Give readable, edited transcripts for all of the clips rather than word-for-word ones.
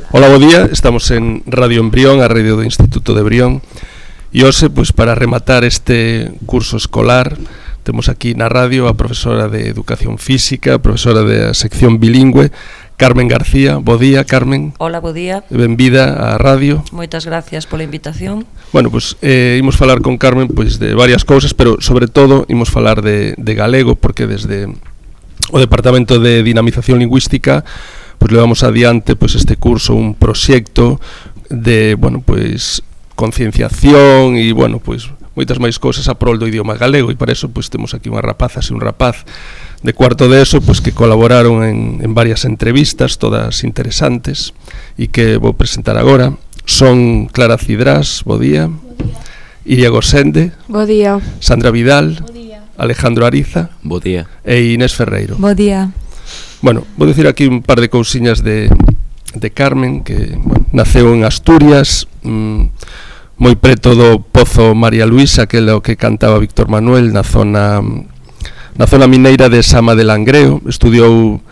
Ola, bo día, estamos en Radio Embrión, a radio do Instituto de Brión. E hoxe, pois, para rematar este curso escolar, temos aquí na radio a profesora de Educación Física, profesora da sección bilingüe, Carmen García. Bo día, Carmen. Hola, bo día. Benvida á radio. Moitas gracias pola invitación. Bueno, pois, imos falar con Carmen pois de varias cousas, pero sobre todo imos falar de galego, porque desde o Departamento de Dinamización Lingüística pois levamos adiante pois este curso, un proxecto de, bueno, pois concienciación e, bueno, pois moitas máis cousas a prol do idioma galego, e para eso pois temos aquí unha rapazas e un rapaz de cuarto de ESO pois que colaboraron en varias entrevistas, todas interesantes, e que vou presentar agora. Son Clara Cidrás, bo día. Iria Gosende. Bo día. Sandra Vidal. Bo día. Alejandro Ariza. Bo día. E Inés Ferreiro. Bo día. Bueno, vou dicir aquí un par de cousiñas de Carmen, que, bueno, naceu en Asturias, moi preto do Pozo María Luisa, que é o que cantaba Víctor Manuel, na zona mineira de Sama de Langreo. Estudiou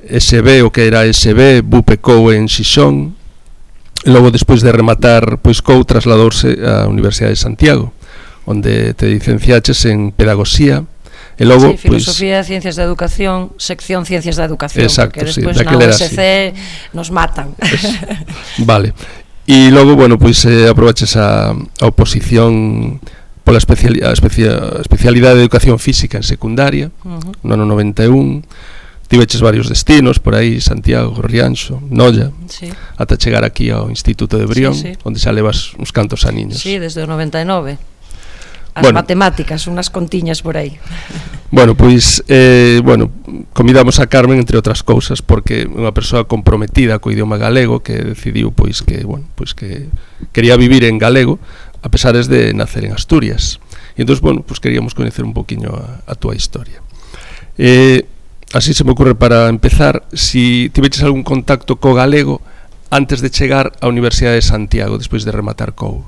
SB, o que era SB, Bupecou en Xixón, e logo, despois de rematar pois COU, trasladouse á Universidade de Santiago, onde te licenciaches en Pedagogía. E logo, sí, Filosofía, pois, Ciencias da Educación, sección Ciencias da Educación, exacto, porque despois sí, na USC nos matan. Vale. E logo, bueno, pois aprobaches a oposición pola especialidade de Educación Física en secundaria, no ano 91. Tiveches varios destinos por aí, Santiago, Rianxo, Noia, sí, ata chegar aquí ao Instituto de Brión, sí, sí, onde xa levas uns cantos aniños. Sí, desde o 99. As matemáticas, unhas contiñas por aí. Bueno, pois, convidamos a Carmen, entre outras cousas, porque é unha persoa comprometida co idioma galego, que decidiu, pois, que quería vivir en galego, a pesares de nacer en Asturias. E entón, bueno, pois queríamos coñecer un poquinho a túa historia. Así se me ocurre para empezar, si tiveches algún contacto co galego antes de chegar á Universidade de Santiago, despois de rematar COU.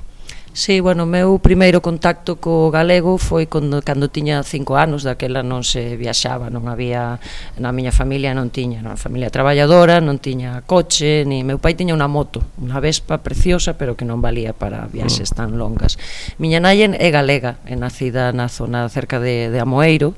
Sí, bueno, o meu primeiro contacto co galego foi cando tiña 5 anos, daquela non se viaxaba, non había, na miña familia non tiña, na familia traballadora, non tiña coche, ni meu pai tiña unha moto, unha Vespa preciosa, pero que non valía para viaxes tan longas. Miña nai é galega, é nacida na zona cerca de Amoeiro,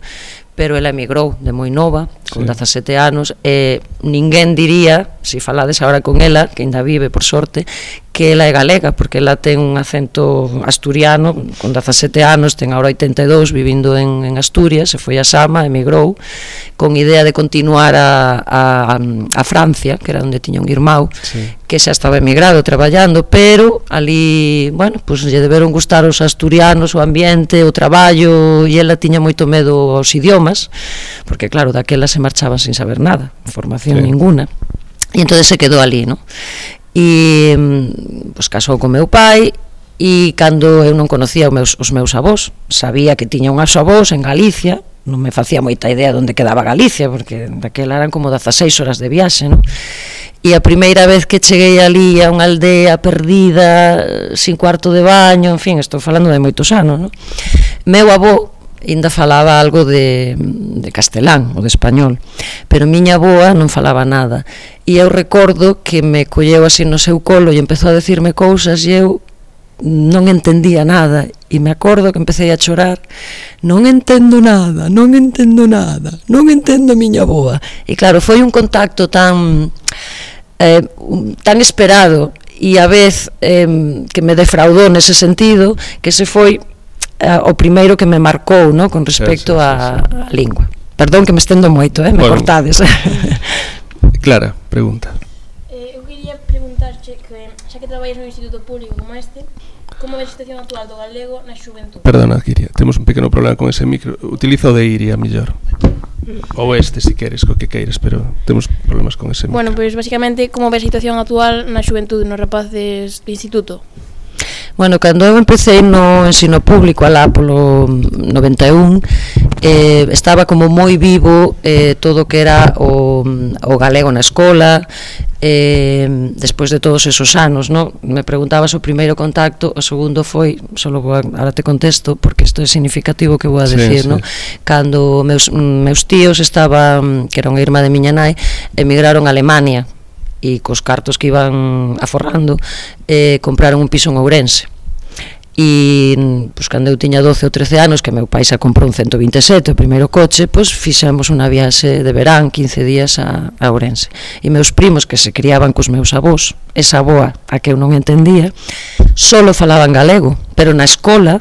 pero ela emigrou de moi nova, con 17 anos, e ninguén diría, se falades agora con ela, que ainda vive por sorte, que ela é galega, porque ela ten un acento asturiano, con 17 anos, ten agora 82, vivindo en Asturias, se foi a Sama, emigrou, con idea de continuar a Francia, que era onde tiña un irmão, sí, que xa estaba emigrado, traballando, pero ali, bueno, pues lle deberon gustar os asturianos, o ambiente, o traballo, e ela tiña moito medo aos idiomas, porque claro, daquela se marchaban sin saber nada, formación ninguna, e entón se quedou ali, non? E pues casou con meu pai, e cando eu non conocía os meus avós, sabía que tiña unhas avós en Galicia, non me facía moita idea de onde quedaba Galicia, porque daquela eran como 16 horas de viaxe, non? E a primeira vez que cheguei ali a unha aldea perdida, sin cuarto de baño, en fin, estou falando de moitos anos, non? Meu avó ainda falaba algo de castelán ou de español, pero miña avoa non falaba nada, e eu recordo que me colleu así no seu colo e empezou a decirme cousas e eu non entendía nada, e me acordo que empecé a chorar. Non entendo nada, non entendo nada, non entendo a miña avoa. E claro, foi un contacto tan esperado e a vez que me defraudou nese sentido, que se foi o primeiro que me marcou, no, con respecto á lingua. Perdón que me estendo moito, me cortades. Clara, pregunta. Eu quería preguntarche que, xa que traballas no instituto público como este, como é a situación actual do galego na xuventude? Perdona, Iria, temos un pequeno problema con ese micro. Utiliza o de Iria, mellor. Ou este, se queres, co que queiras, pero temos problemas con ese micro. Bueno, pois basicamente, como é a situación actual na xuventude, nos rapaces de instituto? Bueno, cando eu empecé no ensino público alá polo 91, estaba como moi vivo todo o que era o galego na escola, despois de todos esos anos, no? Me preguntabas o primeiro contacto, o segundo foi, ahora te contesto, porque isto é significativo que vou a decir, sí, no? Cando meus tíos estaban, que era unha irmá de miña nai, emigraron a Alemania, e cos cartos que iban aforrando compraron un piso en Ourense. E pois, cando eu tiña 12 ou 13 anos, que meu pai xa comprou un 127, o primeiro coche, pois fixemos unha viaxe de verán, 15 días a Ourense. E meus primos, que se criaban cos meus avós, esa avoa a que eu non entendía, solo falaban galego, pero na escola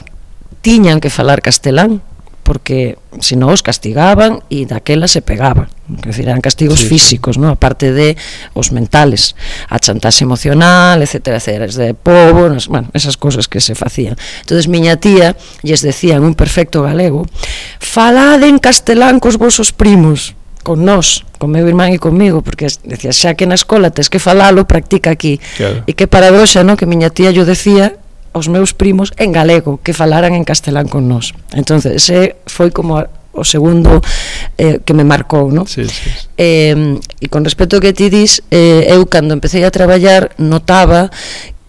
tiñan que falar castelán, porque se non os castigaban e daquela se pegaban, que decir, eran castigos físicos, ¿no? Aparte de os mentales, a chantaxe emocional, etcétera, etcétera, de pobo, bueno, esas cosas que se facían. Entonces miña tía lles decía en un perfecto galego: falade en castelán cos vosos primos, con nós, con meu irmán e comigo, porque decía, xa que na escola tes que falalo, practica aquí. Claro. E que paradoxa, ¿no? Que miña tía yo decía os meus primos en galego, que falaran en castelán con nós. Entonces, ese foi como o segundo que me marcou, ¿no? Sí. E con respecto ao que ti dis, eu cando empecé a traballar notaba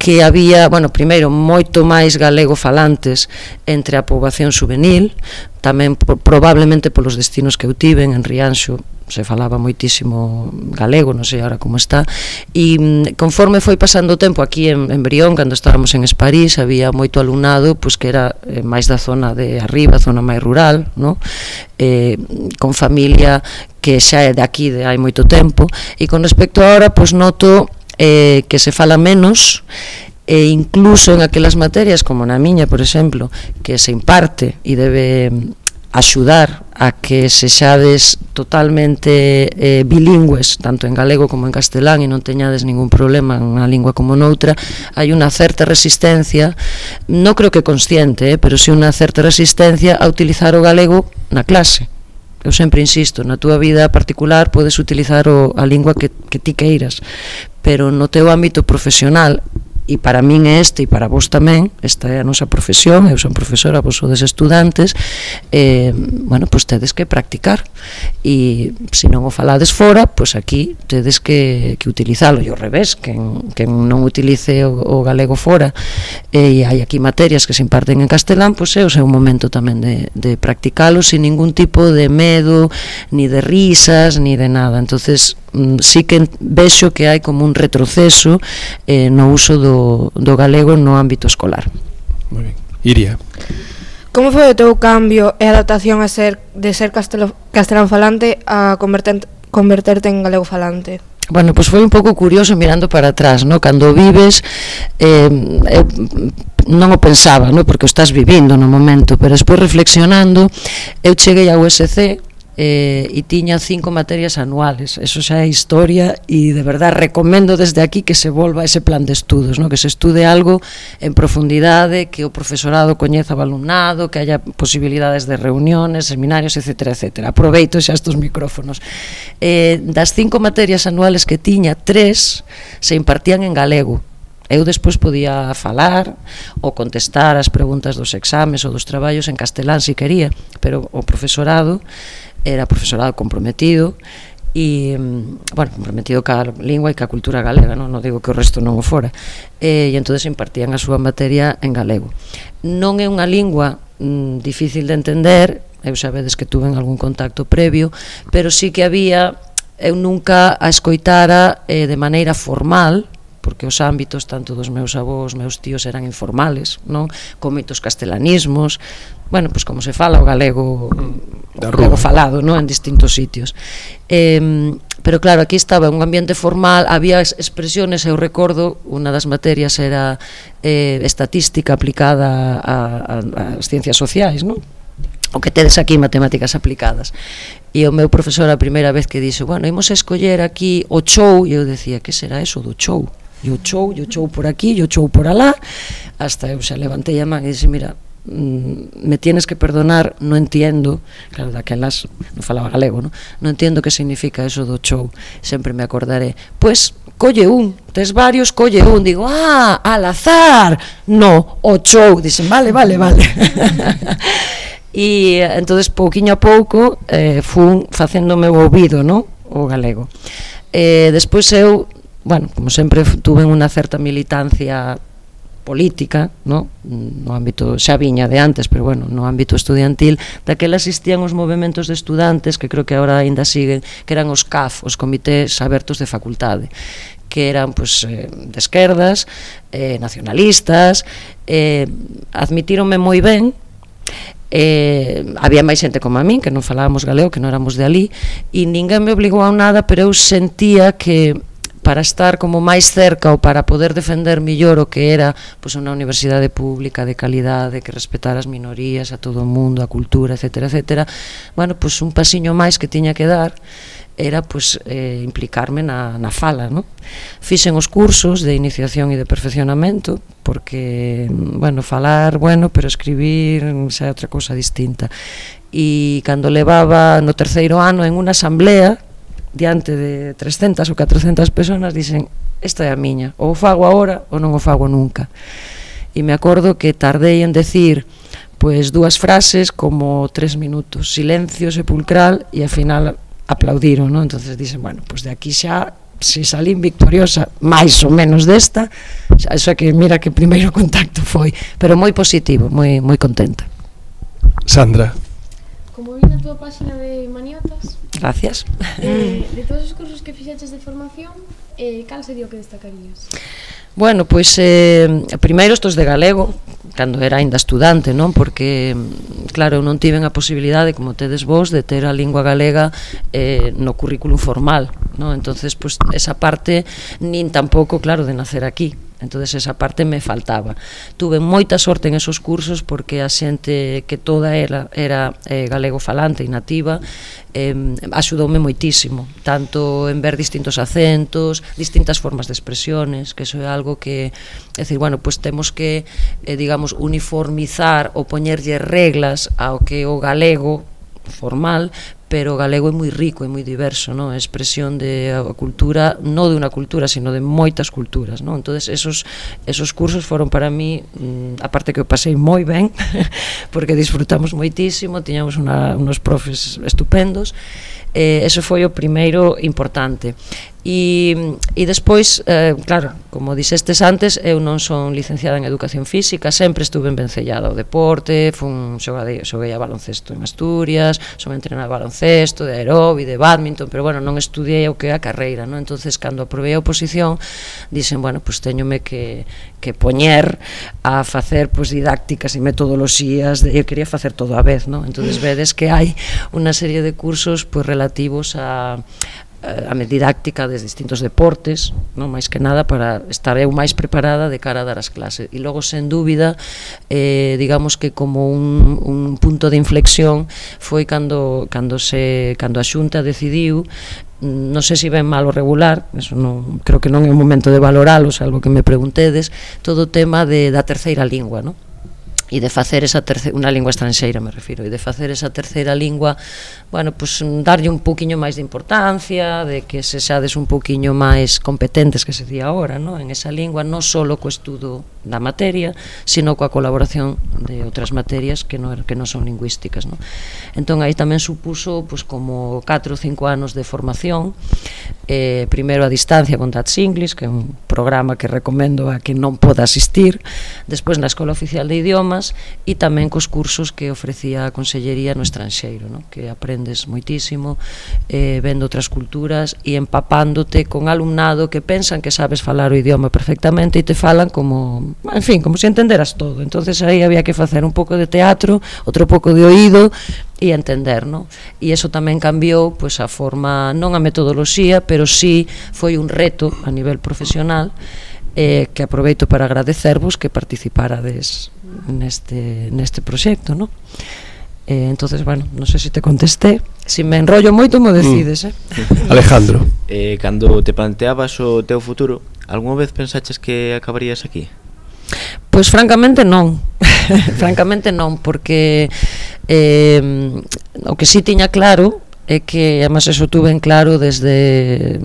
que había, bueno, primeiro, moito máis galego falantes entre a poboación juvenil, tamén probablemente polos destinos que eu tiven en Rianxo, se falaba moitísimo galego, non sei agora como está, e conforme foi pasando o tempo aquí en Brión, cando estábamos en Esparís, había moito alumnado pois que era máis da zona de arriba, zona máis rural, no? Con familia que xa é de aquí de hai moito tempo, e con respecto a ahora, pois noto que se fala menos, e incluso en aquelas materias como na miña, por exemplo, que se imparte e debe axudar a que sexades totalmente bilingües, tanto en galego como en castelán, e non teñades ningún problema en unha lingua como noutra, hai unha certa resistencia, non creo que consciente, pero sí unha certa resistencia a utilizar o galego na clase. Eu sempre insisto, na túa vida particular podes utilizar a lingua que ti queiras, pero no teu ámbito profesional, e para min é este, e para vos tamén, esta é a nosa profesión, eu son profesora, vos sodes estudantes, bueno, pois tedes que practicar, e se non o falades fora, pois aquí tedes que utilizalo, e ao revés, que non utilice o galego fora, e hai aquí materias que se imparten en castelán, pois é o seu momento tamén de practicalo, sin ningún tipo de medo, ni de risas, ni de nada. Entonces sí que vexo que hai como un retroceso no uso do galego no ámbito escolar. Moi ben. Iria, como foi o teu cambio e adaptación de ser castelán falante a converterte en galego falante? Bueno, pois foi un pouco curioso mirando para atrás, no? Cando vives, eu non o pensaba, no? Porque o estás vivindo no momento, pero despois reflexionando, eu cheguei ao USC e tiña 5 materias anuales, eso xa é historia, e de verdad recomendo desde aquí que se volva a ese plan de estudos, no? Que se estude algo en profundidade, que o profesorado coñeza o alumnado, que haya posibilidades de reuniones, seminarios, etcétera, etcétera. Aproveito xa estos micrófonos. Das 5 materias anuales que tiña, 3 se impartían en galego. Eu despois podía falar ou contestar as preguntas dos exames ou dos traballos en castelán se quería, pero o profesorado era profesorado comprometido e, bueno, comprometido ca lingua e ca cultura galega, non digo que o resto non o fora, e entonces impartían a súa materia en galego. Non é unha lingua difícil de entender, eu sabedes que tuve algún contacto previo, pero sí que había, eu nunca a escoitara de maneira formal, porque os ámbitos tanto dos meus avós, meus tíos eran informales, non? Con moitos castelanismos, bueno, pois como se fala o galego falado, non? En distintos sitios. Pero claro, aquí estaba un ambiente formal, había expresiones, eu recordo, unha das materias era estatística aplicada ás ciencias sociais, non? O que tedes aquí, matemáticas aplicadas. E o meu profesor a primeira vez que dixo, bueno, imos a escoller aquí o chou, e eu decía, que será eso do chou? E o chou por aquí, e o chou por alá, hasta eu xa levantei a man e dixo, mira, me tienes que perdonar, no entiendo, claro, daquelas non falaba galego, non entiendo que significa eso do chou, sempre me acordaré, pois colle un, tes varios, colle un, digo, al azar, no, o chou, dixen, vale. E entonces pouquiño a pouco fun facendo o meu ouvido, no? O galego. Despois eu, bueno, como sempre tuve unha certa militancia política, no ámbito, xa viña de antes, pero bueno, no ámbito estudiantil, daquela existían os movementos de estudantes, que creo que agora ainda siguen, que eran os CAF, os comités abertos de facultade, que eran pues, de esquerdas, nacionalistas, admitíronme moi ben. Había máis xente como a min que non falábamos galego, que non éramos de alí, e ninguén me obligou a nada, pero eu sentía que para estar como máis cerca ou para poder defender millor o que era pois, unha universidade pública de calidade que respetara as minorías, a todo o mundo, a cultura, etcétera, etcétera, bueno, pois un pasiño máis que tiña que dar era pois, implicarme na fala, no? Fixen os cursos de iniciación e de perfeccionamento porque, bueno, falar, bueno, pero escribir xa é outra cousa distinta, e cando levaba no terceiro ano en unha asamblea diante de 300 ou 400 personas, dixen, esta é a miña, ou o fago agora ou non o fago nunca. E me acordo que tardei en decir pois 2 frases como 3 minutos, silencio sepulcral, e ao final aplaudiron, non? Entonces dixen, bueno, pois de aquí xa, se salín victoriosa máis ou menos desta, xa que mira que primeiro contacto foi, pero moi positivo, moi contenta. Como Sandra. vi na túa página de Maniotas, Gracias. de todos os cursos que fixeches de formación, cal sería o que destacarías? Bueno, pois primeiro estos de galego, cando era ainda estudante, non? Porque, claro, eu non tiven a posibilidade, como tedes vos, de ter a lingua galega no currículum formal, non? Entonces, pois, esa parte, nin tampouco, claro, de nacer aquí. Entonces esa parte me faltaba. Tuve moita sorte en esos cursos porque a xente que toda era galego falante e nativa, axudoume moitísimo, tanto en ver distintos acentos, distintas formas de expresiones, que eso é algo que, é dicir, bueno, pues temos que, digamos, uniformizar ou poñerlle reglas ao que o galego formal, pero o galego é moi rico e moi diverso, non? É expresión de a cultura, non de unha cultura, sino de moitas culturas, non? Entonces esos cursos foron para mí, aparte que eu pasei moi ben, porque disfrutamos moitísimo, tiñamos unos profes estupendos, eso foi o primeiro importante. E despois, claro, como dixestes antes, eu non son licenciada en Educación Física, sempre estuve vencellada ao deporte, xoguei a baloncesto en Asturias, son entrenada de baloncesto, de aeróbic, de badminton, pero bueno, non estudiei o que é a carreira, non? Entonces, cando aprobei a oposición, dixen, bueno, pois teñome que poñer a facer pois didácticas e metodoloxías, eu quería facer todo a vez, non? Entonces vedes que hai unha serie de cursos pois relativos a didáctica de distintos deportes, non, máis que nada para estar eu máis preparada de cara a dar as clases. E logo, sen dúbida, digamos que como un punto de inflexión foi cando a Xunta decidiu, non sei se ben mal ou regular, eso non, creo que non é o momento de valoralo, salvo que me preguntedes, todo o tema da terceira lingua, non? E de facer esa unha lingua estranxeira, me refiro, e de facer esa terceira lingua, bueno, pues darlle un poquinho máis de importancia, de que se xades un poquinho máis competentes, que se di agora, no? En esa lingua, non só co estudo da materia, sino coa colaboración de outras materias que non son lingüísticas, no? Entón aí tamén supuso pues, como 4 ou 5 anos de formación, primeiro a distancia con Dutch English, que é un programa que recomendo a que non poda asistir, despois na Escola Oficial de Idiomas, e tamén cos cursos que ofrecía a Consellería no estranxeiro, no? Que aprendes moitísimo, vendo outras culturas e empapándote con alumnado que pensan que sabes falar o idioma perfectamente e te falan como, en fin, como se entenderas todo. Entonces aí había que facer un pouco de teatro, outro pouco de oído e entender, no? E iso tamén cambiou pois, a forma, non a metodoloxía, pero sí foi un reto a nivel profesional, que aproveito para agradecervos que participarades neste proxecto, no? Entonces, bueno, non sei se te contesté, se me enrollo moito mo decides, Alejandro. Cando te planteabas o teu futuro, algunha vez pensaches que acabarías aquí? Pois francamente non. Francamente non, porque o que sí tiña claro é que, además, eso tuve en claro desde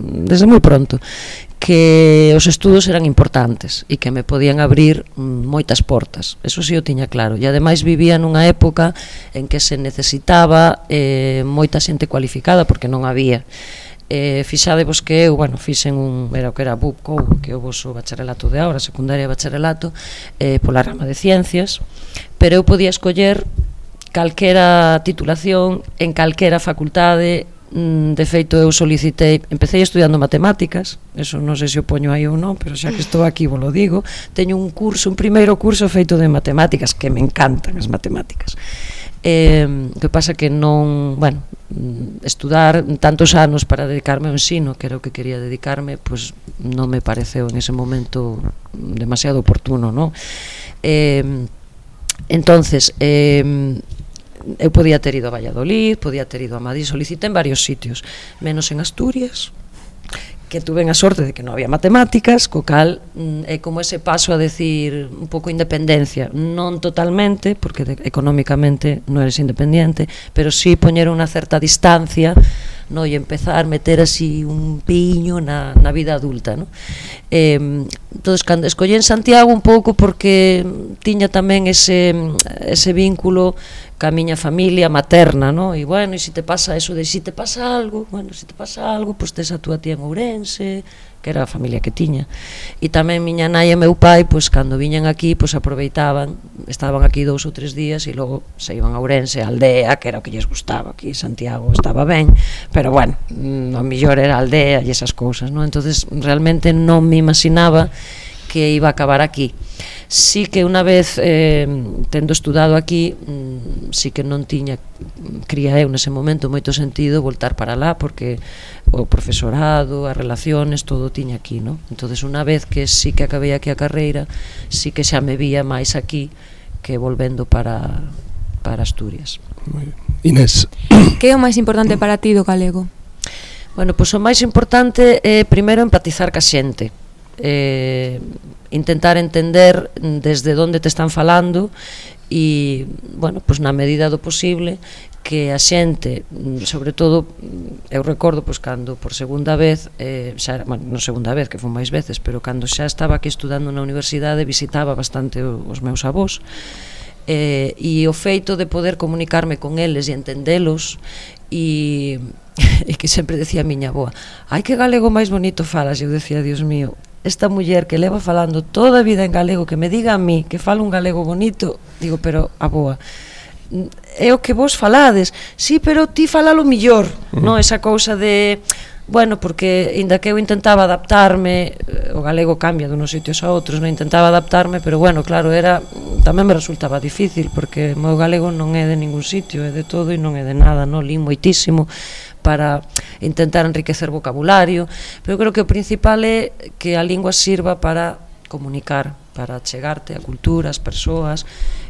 moi pronto, que os estudos eran importantes e que me podían abrir moitas portas. Eso sí o tiña claro. E ademais vivía nunha época en que se necesitaba moita xente cualificada, porque non había. Fixadevos que eu, bueno, fixen era o que era BUP, que é o voso bacharelato de agora, secundaria e bacharelato, pola rama de ciencias, pero eu podía escoller calquera titulación en calquera facultade De feito, eu solicitei, empecé estudiando matemáticas, eso non sei se o poño aí ou non, pero xa que estou aquí vos lo digo, teño un primeiro curso feito de matemáticas, que me encantan as matemáticas. Que pasa que non, bueno, estudar tantos anos para dedicarme ao ensino, que era o que quería dedicarme, pois non me pareceu en ese momento demasiado oportuno, non? Entonces, eu podía ter ido a Valladolid, podía ter ido a Madrid, solicité en varios sitios, menos en Asturias, que tuve a sorte de que non había matemáticas, co cal é como ese paso a decir un pouco independencia, non totalmente, porque económicamente non eres independiente, pero sí poñer unha certa distancia, no, e empezar a meter así un piño na vida adulta, no? Entonces, cando escollí en Santiago un pouco porque tiña tamén ese vínculo ca miña familia materna, no? E bueno, e se te pasa eso de se te pasa algo, bueno, se te pasa algo, pois tes a túa tía en Ourense, que era a familia que tiña. E tamén miña nai e meu pai, pois cando viñan aquí, pois aproveitaban, estaban aquí 2 ou 3 días e logo se iban a Ourense, a aldea, que era o que lles gustaba. Aquí Santiago estaba ben, pero bueno, o mellor era a aldea e esas cousas, no? Entonces realmente non me imaginaba que iba a acabar aquí. Sí que unha vez tendo estudado aquí, sí que non tiña, cría eu nese momento, moito sentido voltar para lá, porque o profesorado, as relaciones, todo tiña aquí, no? Entonces unha vez que sí que acabei aquí a carreira, sí que xa me vía máis aquí que volvendo para Asturias. Inés. Que é o máis importante para ti do galego? Bueno, pois o máis importante é primeiro empatizar ca xente, intentar entender desde onde te están falando e, bueno, pois na medida do posible que a xente, sobre todo eu recordo pois cando por segunda vez xa, bueno, non segunda vez, que foi máis veces, pero cando xa estaba aquí estudando na universidade visitaba bastante os meus avós, e o feito de poder comunicarme con eles e entendelos e que sempre decía a miña avoa, ai que galego máis bonito falas, e eu decía, Dios mío, esta muller que leva falando toda a vida en galego, que me diga a mí que falo un galego bonito, digo, pero avoa, é o que vos falades, sí, pero ti falalo millor, non? Esa cousa de, bueno, porque inda que eu intentaba adaptarme, o galego cambia de unos sitios a outros, non intentaba adaptarme, pero bueno, claro, tamén me resultaba difícil, porque o meu galego non é de ningún sitio, é de todo e non é de nada, non? Lín moitísimo para intentar enriquecer vocabulario, pero creo que o principal é que a lingua sirva para comunicar, para chegarte a cultura, as persoas,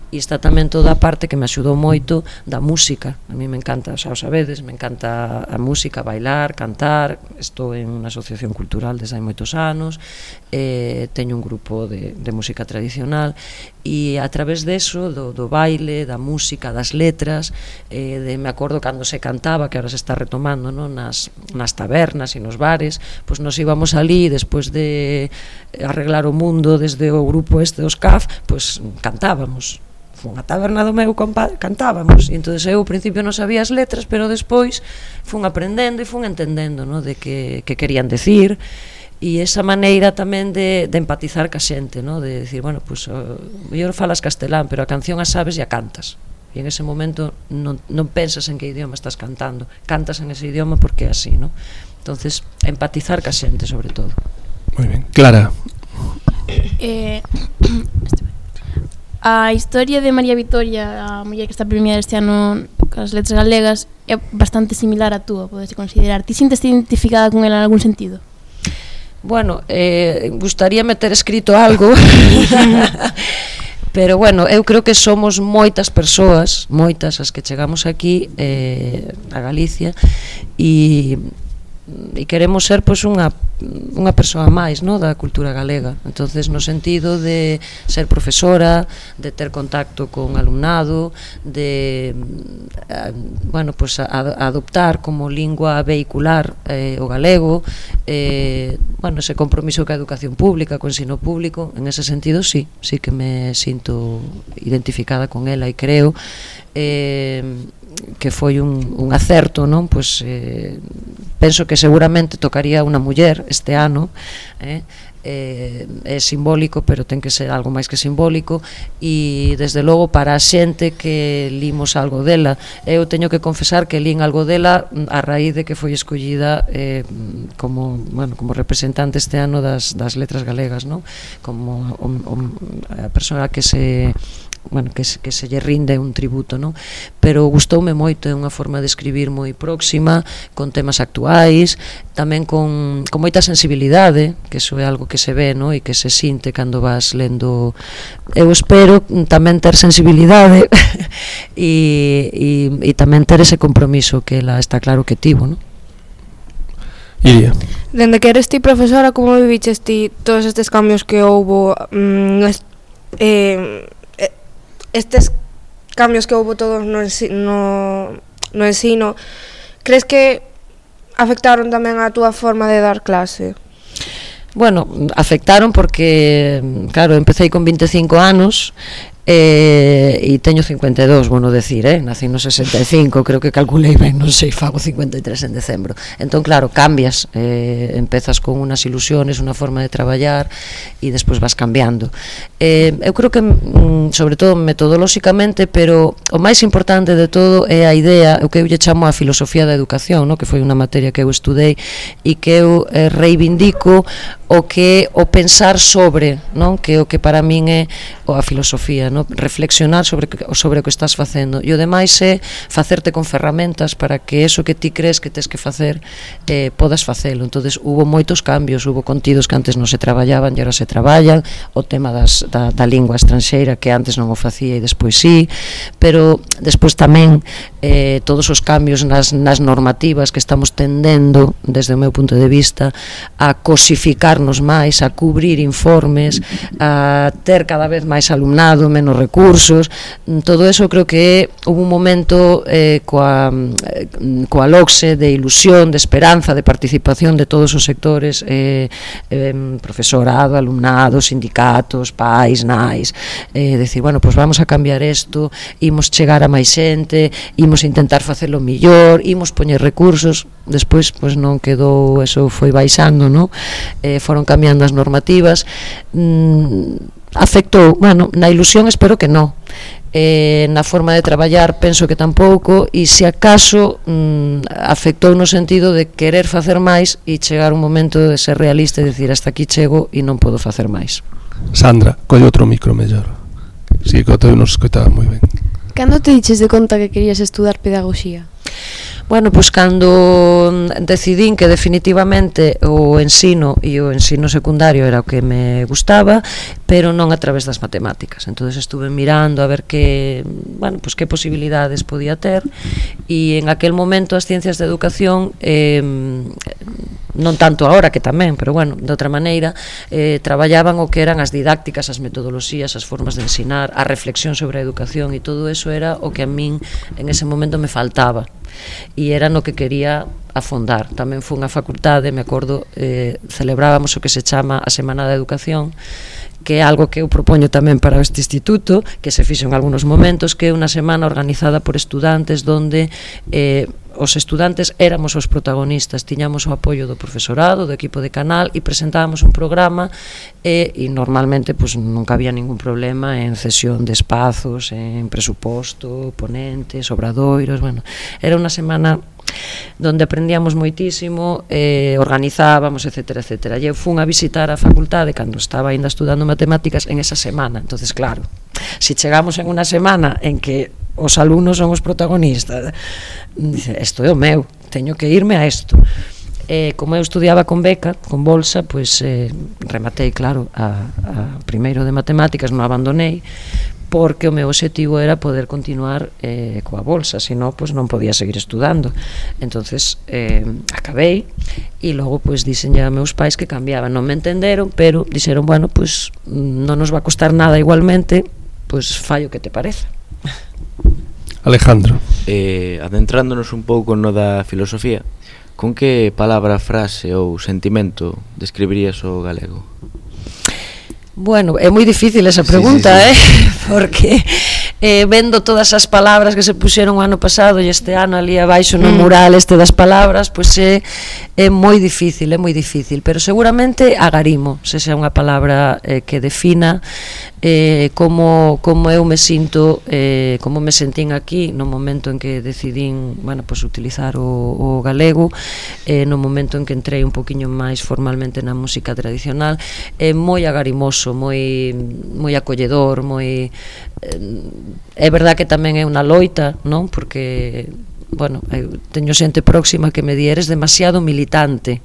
e está tamén toda a parte que me axudou moito da música. A mí me encanta, xa o sabedes, me encanta a música, bailar, cantar. Estou en unha asociación cultural desde hai moitos anos, teño un grupo de música tradicional, e a través deso, do baile, da música, das letras, me acordo cando se cantaba, que ahora se está retomando, non? Nas tabernas e nos bares, pois nos íbamos ali, despois de arreglar o mundo desde o grupo dos CAF, pois cantábamos. Foi unha taberna do meu compadre, cantábamos, e entón eu ao principio non sabía as letras, pero despois fun aprendendo e fun entendendo, no? De que querían decir, e esa maneira tamén de empatizar ca xente, no? De decir, bueno, pues, mellor falas castelán, pero a canción a sabes e a cantas, e en ese momento non pensas en que idioma estás cantando, cantas en ese idioma porque é así, no? Entonces, empatizar ca xente sobre todo. Moi ben. Clara. A historia de María Vitoria, a muller que está premiada este ano cas letras galegas, é bastante similar a túa, podes considerar. Ti sinteste identificada con ela en algún sentido? Bueno, gustaríame ter escrito algo, pero bueno, eu creo que somos moitas persoas, moitas as que chegamos aquí a Galicia, e queremos ser pois unha persoa máis, no, da cultura galega. Entonces, no sentido de ser profesora, de ter contacto con alumnado, de bueno, pois adoptar como lingua vehicular o galego, bueno, ese compromiso ca educación pública, co ensino público, en ese sentido sí que me sinto identificada con ela, e creo que foi un acerto, non? Pois penso que seguramente tocaría unha muller este ano, é simbólico, pero ten que ser algo máis que simbólico, e desde logo para a xente que limos algo dela, eu teño que confesar que lín algo dela a raíz de que foi escollida como representante este ano das letras galegas, non? Como a persoa que se lle rinde un tributo, non? Pero gustoume moito, é unha forma de escribir moi próxima, con temas actuais, tamén con moita sensibilidade, que iso é algo que se ve, non? E que se sinte cando vas lendo. Eu espero tamén ter sensibilidade e tamén ter ese compromiso que ela está claro que tivo, non? Iria. Dende que eres ti profesora, como viviches ti todos estes cambios que houbo, estes cambios que houbo todos no ensino, crees que afectaron tamén a túa forma de dar clase? Bueno, afectaron porque, claro, empecé con 25 anos e teño 52, bueno, decir, nací no 65, creo que calculei ben, non sei, fago 53 en decembro. Entón, claro, cambias, empezas con unas ilusiones, unha forma de traballar e despois vas cambiando. Eu creo que, sobre todo metodolóxicamente, pero o máis importante de todo é a idea, o que eu lle chamo a filosofía da educación, no? Que foi unha materia que eu estudei e que eu reivindico o que o pensar sobre, non? Que o que para min é a filosofía, non? Reflexionar sobre o que estás facendo, e o demais é facerte con ferramentas para que eso que ti crees que tes que facer podas facelo. Entonces hubo moitos cambios, hubo contidos que antes non se traballaban e agora se traballan, o tema da lingua estranxeira que antes non o facía e despois sí, pero despois tamén todos os cambios nas normativas que estamos tendendo, desde o meu punto de vista, a cosificarnos máis, a cubrir informes, a ter cada vez máis alumnado, menos recursos, todo eso creo que hubo un momento coa LOCSE de ilusión, de esperanza, de participación de todos os sectores, profesorado, alumnado, sindicatos, pais, nais, decir, bueno, pues vamos a cambiar isto, imos chegar a máis xente, imos intentar facelo millor, imos poñer recursos. Despois, pues non quedou, eso foi baixando, non? Foron cambiando as normativas, afectou, bueno, na ilusión espero que non, na forma de traballar penso que tampouco, e se acaso afectou no sentido de querer facer máis e chegar un momento de ser realista e dicir hasta aquí chego e non podo facer máis. Sandra, colle outro micro mellor. Si, que o teu non se escoitaba moi ben. Cando te diches de conta que querías estudar pedagogía? Bueno, pois cando decidín que definitivamente o ensino e o ensino secundario era o que me gustaba, pero non a través das matemáticas. Entonces estuve mirando a ver que posibilidades podía ter, e en aquel momento as ciencias de educación, non tanto agora que tamén, pero bueno, de outra maneira, traballaban o que eran as didácticas, as metodoloxías, as formas de ensinar, a reflexión sobre a educación, e todo eso era o que a min en ese momento me faltaba. E era no que quería afondar. Tamén foi unha facultade, me acordo, celebrábamos o que se chama a Semana da Educación, que é algo que eu propoño tamén para este instituto, que se fixo en algunos momentos, que é unha semana organizada por estudantes, donde os estudantes éramos os protagonistas, tiñamos o apoio do profesorado, do equipo de canal, e presentábamos un programa, e normalmente pues, nunca había ningún problema en cesión de espazos, en presuposto, ponentes, obradoiros, bueno, era unha semana donde aprendíamos moitísimo, organizábamos, etcétera, etcétera. E eu fun a visitar a facultade cando estaba ainda estudando matemáticas en esa semana. Entonces, claro, si chegamos en unha semana en que os alumnos son os protagonistas, dice, isto é o meu, teño que irme a isto. Como eu estudiaba con beca, con bolsa, pois rematei, claro, a primeiro de matemáticas, non abandonei, porque o meu objetivo era poder continuar coa bolsa, senón pois non podía seguir estudando. Entonces acabei, e logo pois dixenlle a meus pais que cambiaban. Non me entenderon, pero dixeron, bueno, pois non nos va a costar nada igualmente, pois fai o que te parece. Alejandro. Adentrándonos un pouco no da filosofía, con que palabra, frase ou sentimento describirías o galego? Bueno, é moi difícil esa pregunta, sí. Porque vendo todas as palabras que se puxeron o ano pasado e este ano ali abaixo no mural este das palabras, pois é moi difícil, pero seguramente agarimo, se xa unha palabra que defina como eu me sinto, como me sentín aquí no momento en que decidín, bueno, pois utilizar o galego, no momento en que entrei un poquinho máis formalmente na música tradicional, moi agarimoso, moi acolledor, moi é verdad que tamén é unha loita, non? Porque bueno, eu teño xente próxima que me di eres demasiado militante,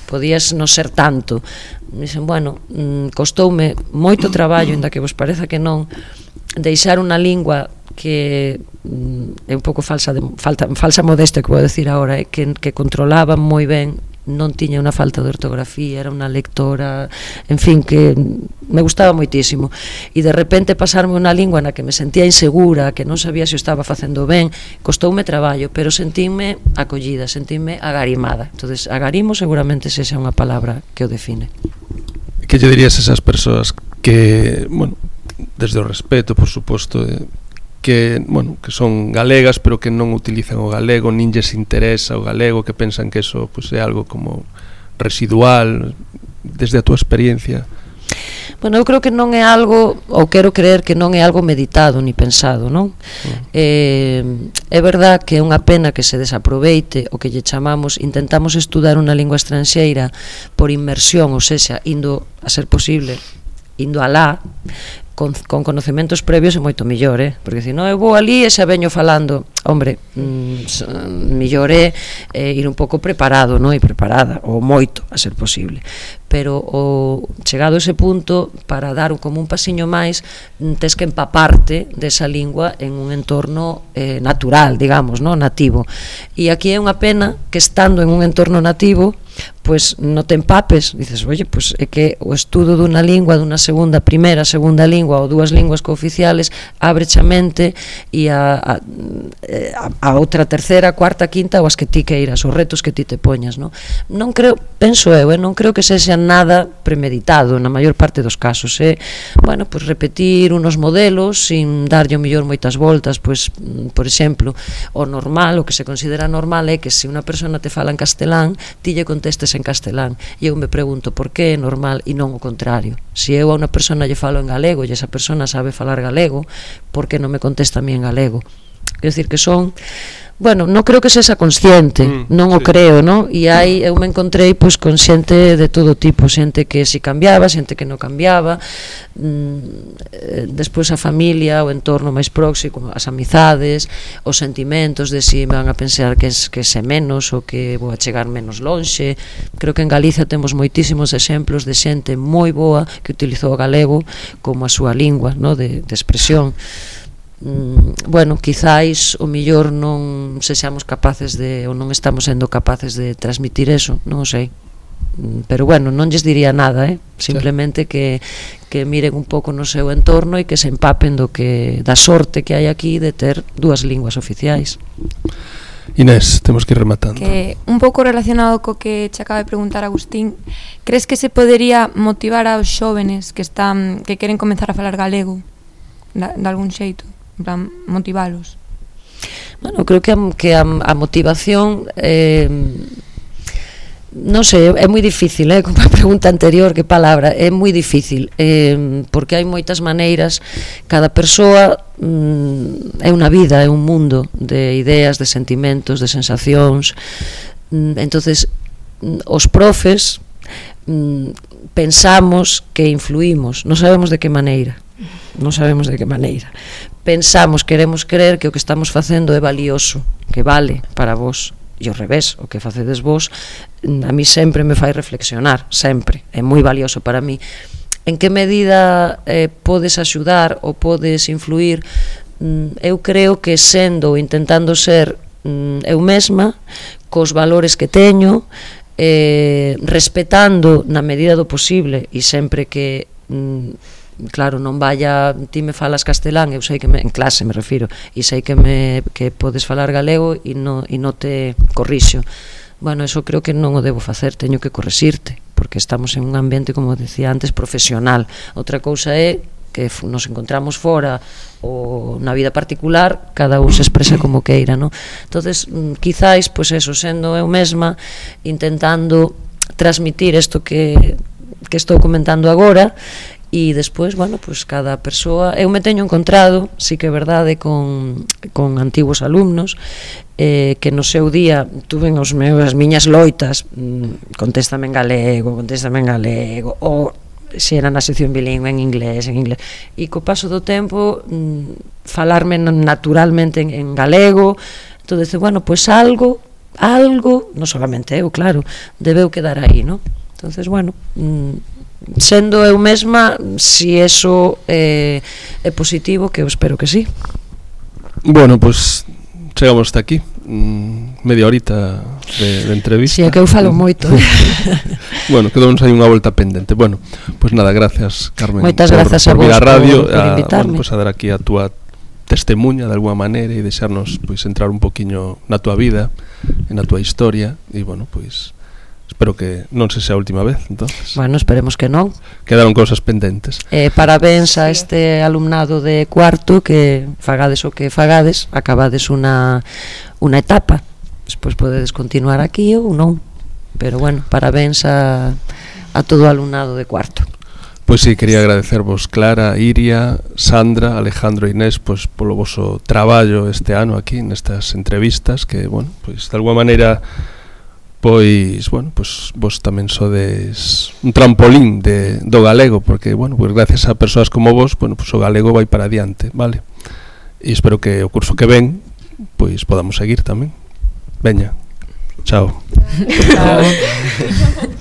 podías non ser tanto. Dixen, bueno, costoume moito traballo, inda que vos pareza que non, deixar unha lingua que é un pouco falsa modestia que vou decir agora, que controlaba moi ben, non tiña unha falta de ortografía, era unha lectora, en fin, que me gustaba moitísimo, e de repente pasarme unha lingua na que me sentía insegura, que non sabía se o estaba facendo ben, costoume traballo, pero sentínme acollida, sentínme agarimada. Entonces, agarimo seguramente se xa unha palabra que o define. Que lle dirías a esas persoas que, bueno, desde o respeto, por suposto, que, bueno, que son galegas pero que non utilizan o galego, nin lles interesa o galego, que pensan que eso pues, é algo como residual, desde a túa experiencia? Bueno, eu creo que non é algo, ou quero creer que non é algo meditado ni pensado, non? É verdad que é unha pena que se desaproveite o que lle chamamos, intentamos estudar unha lingua estranxeira por inmersión, ou sexa, indo a ser posible, indo alá, con conocementos previos é moito mellor, porque se non eu vou ali e xa veño falando, hombre, mellor é ir un pouco preparado, non? E preparada, ou moito a ser posible, pero chegado a ese punto, para dar como un pasiño máis, tes que empaparte desa lingua en un entorno natural, digamos, non? Nativo, e aquí é unha pena que estando en un entorno nativo, pois non te empapes, dices, oye, pois é que o estudo dunha lingua, dunha primeira, segunda lingua ou dúas linguas cooficiales abreche a mente e a outra terceira, cuarta, quinta ou as que ti queiras, os retos que ti te poñas, non? Non creo, penso eu, non creo que sexa nada premeditado na maior parte dos casos, bueno, pois repetir unos modelos sin darlle o mellor moitas voltas, pois, por exemplo, o normal, o que se considera normal é que se unha persona te fala en castelán, ti lle contestes en castelán, e eu me pregunto por que é normal e non o contrario. Se eu a unha persona lle falo en galego e esa persona sabe falar galego, por que non me contesta a mí en galego? Quer decir que son, bueno, non creo que sexa consciente, non o creo, non? E aí eu me encontrei pois con xente de todo tipo, xente que si cambiaba, xente que non cambiaba, despois a familia, o entorno máis próximo, as amizades, os sentimentos de si me van a pensar que se menos ou que vou a chegar menos lonxe. Creo que en Galicia temos moitísimos exemplos de xente moi boa que utilizou o galego como a súa lingua, non? De expresión. Bueno, quizáis o mellor non sexamos capaces de, ou non estamos sendo capaces de transmitir eso, non o sei, pero bueno, non lles diría nada, simplemente que miren un pouco no seu entorno e que se empapen da sorte que hai aquí de ter dúas linguas oficiais. Inés, temos que ir rematando. Que un pouco relacionado co que che acaba de preguntar Agustín, crees que se podería motivar aos xóvenes que queren comenzar a falar galego de algún xeito? En plan, motivalos? Bueno, creo que a motivación non sei, é moi difícil, como a pregunta anterior, que palabra, é moi difícil, porque hai moitas maneiras, cada persoa é unha vida, é un mundo de ideas, de sentimentos, de sensacións. Entonces os profes pensamos que influímos, non sabemos de que maneira, pensamos, queremos creer que o que estamos facendo é valioso, que vale para vos, e ao revés, o que facedes vos a mí sempre me fai reflexionar, sempre, é moi valioso para mí. En que medida podes axudar ou podes influir? Eu creo que sendo ou intentando ser eu mesma, cos valores que teño, respetando na medida do posible, e sempre que claro, non vaya, ti me falas castelán, eu sei que en clase me refiro, e sei que podes falar galego e non te corrixo. Bueno, eso creo que non o debo facer, teño que correxirte, porque estamos en un ambiente, como decía antes, profesional. Outra cousa é que nos encontramos fora ou na vida particular, cada un se expresa como queira, non? Entonces, quizáis, pois eso, sendo eu mesma, intentando transmitir isto que estou comentando agora, e despois, bueno, pois cada persoa, eu me teño encontrado, sí que é verdade, con antigos alumnos que no seu día tuven as miñas loitas, contéstame en galego, ou se era na sección bilingüe en inglés, e co paso do tempo falarme naturalmente en galego. Entón, bueno, pois algo, non solamente eu, claro, debeu quedar aí, non? Entón, bueno, sendo eu mesma, si eso é positivo, que eu espero que sí. Bueno, pois chegamos hasta aquí, media horita de entrevista. Si, é que eu falo moito. Bueno, quedamos aí unha volta pendente. Bueno, pois nada, gracias, Carmen. Moitas grazas a vos vir á radio, por invitarme. Bueno, pois a dar aquí a túa testemunha de alguma maneira e deixarnos pois entrar un poquiño na túa vida e na túa historia, e bueno, pois espero que non se sea a última vez, entonces. Bueno, esperemos que non. Quedaron cousas pendentes. Parabéns a este alumnado de cuarto, que fagades o que fagades, acabades unha etapa, despois podedes continuar aquí ou non, pero bueno, parabéns a todo o alumnado de cuarto. Pois sí, quería agradecervos Clara, Iria, Sandra, Alejandro e Inés pois polo voso traballo este ano aquí nestas entrevistas, que bueno, pois de alguma maneira pois, bueno, pois vos tamén sodes un trampolín do galego, porque, bueno, pois gracias a persoas como vos, bueno, pois o galego vai para adiante, vale? E espero que o curso que ven, pois podamos seguir tamén. Veña, chao. Chao.